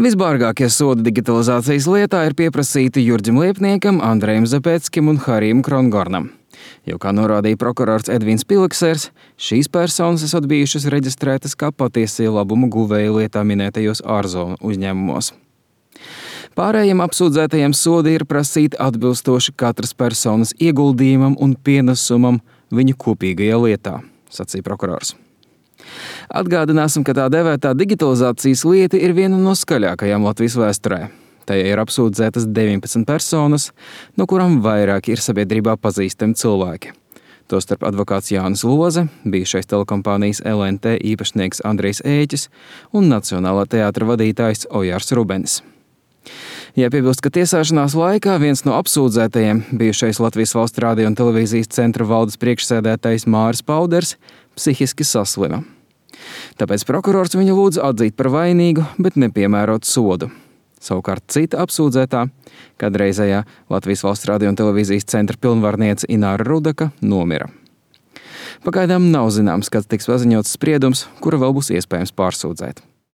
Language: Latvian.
Visbārgākie sodi digitalizācijas lietā ir pieprasīti Jurģim Liepniekam, Andrejam Zapeckim un Harijam Krongornam. Jo, kā norādīja prokurors Edvins Piliksers, šīs personas esot bijušas reģistrētas kā patiesie labumu guvēji lietā minētajos ārzonu uzņēmumos. Pārējiem apsūdzētajiem sodi ir prasīti atbilstoši katras personas ieguldījumam un pienesumam viņu kopīgajā lietā, sacīja prokurors. Atgādināsim, ka tā devētā digitalizācijas lieta ir viena no skaļākajām Latvijas vēsturē. Tajā ir apsūdzētas 19 personas, no kurām vairāki ir sabiedrībā pazīstami cilvēki. Tostarp advokāts Jānis Loze, bijušais telekompānijas LNT īpašnieks Andrejs Ēķis un Nacionālā teātra vadītājs Ojārs Rubenis. Jāpiebilst, ka tiesāšanās laikā viens no apsūdzētajiem, bijušais Latvijas Valsts radio un televīzijas centra valdes priekšsēdētājs Māris Pauders, psihiski saslima. Tāpēc prokurors viņu lūdza atzīt par vainīgu, bet nepiemērot sodu. Savukārt cita apsūdzētā, kādreizējā Latvijas Valsts radio un televīzijas centra pilnvarniece Ināra Rudaka, nomira. Pagaidām nav zināms, kad tiks paziņots spriedums, kuru vēl būs iespējams pārsūdzēt.